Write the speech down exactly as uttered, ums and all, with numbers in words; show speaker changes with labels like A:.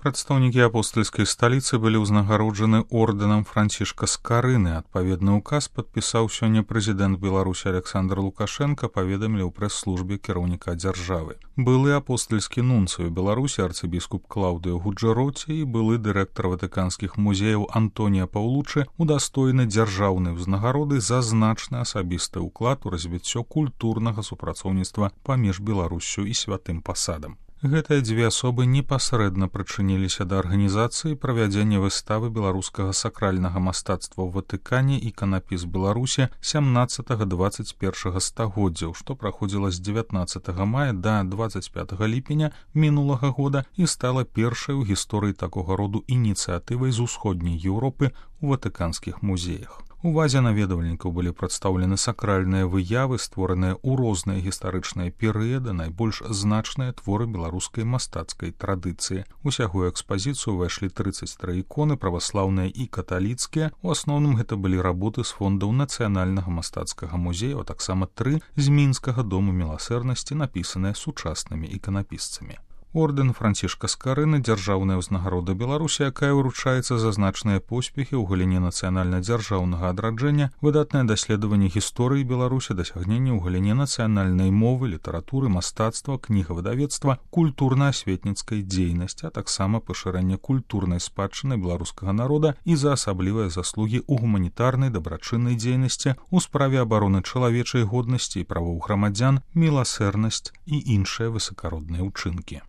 A: Прадстаўнікі апостальскай сталіцы былі ўзнагароджаны ордэнам Францішка Скарыны. Адпаведны ўказ падпісаў сёння прэзідэнт Беларусі Александр Лукашенко, паведамілі ў прэс-службе кіраўніка дзяржавы. Былы апостальскі нунцый у Беларусі арцыбіскуп Клаўдыё Гуджэроці і былы дырэктар ватыканскіх музеяў Антонія Паўлучы удастойны дзяржаўнай узнагароды за значны асабісты ўклад у развіццё культурнага супрацоўніцтва паміж Беларуссю і святым пасадам. Гэтыя дзве асобы непасрэдна прычыніліся да арганізацыі правядзення выставы беларускага сакральнага мастацтва ў Ватыкане «Іканапіс Беларусі» сямнаццатага дваццаць першага стагоддзяў, што праходзіла з дзевятнаццатага мая да дваццаць пятага ліпеня мінулага года і стала першай у гісторыі такога роду ініцыятывай з усходняй Еўропы ў ватыканскіх музеях. Увазе наведвальнікаў былі прадстаўлены сакральныя выявы, створаныя ў розныя гістарычныя перыяды, найбольш значныя творы беларускай мастацкай традыцыі. Усяго ў экспазіцыю ўвайшлі трыццаць тры іконы, праваслаўныя і каталіцкія. У асноўным гэта былі работы з фондаў нацыянальнага мастацкага музея, а таксама тры з мінскага дому міласэрнасці, напісаныя сучаснымі іканапісцамі. Ордэн Францішка Скарыны – дзяржаўная ўзнагарода Беларусі, якая выручаецца за значныя поспехі ў галіне нацыянальна-дзяржаўнага адраджэння, выдатнае даследаванне гісторыі Беларусі, дасягненні ў галіне нацыянальнай мовы, літаратуры, мастацтва, кнігавыдавецтва, культурна-асветніцкай дзейнасці, а таксама пашырэнне культурнай спадчыны беларускага народа і за асаблівыя заслугі ў гуманітарнай дабрачыннай дзейнасці, у справе абароны чалавечай годнасці і правоў грамадзян, міласэрнасць і іншыя высакародныя ўчынкі.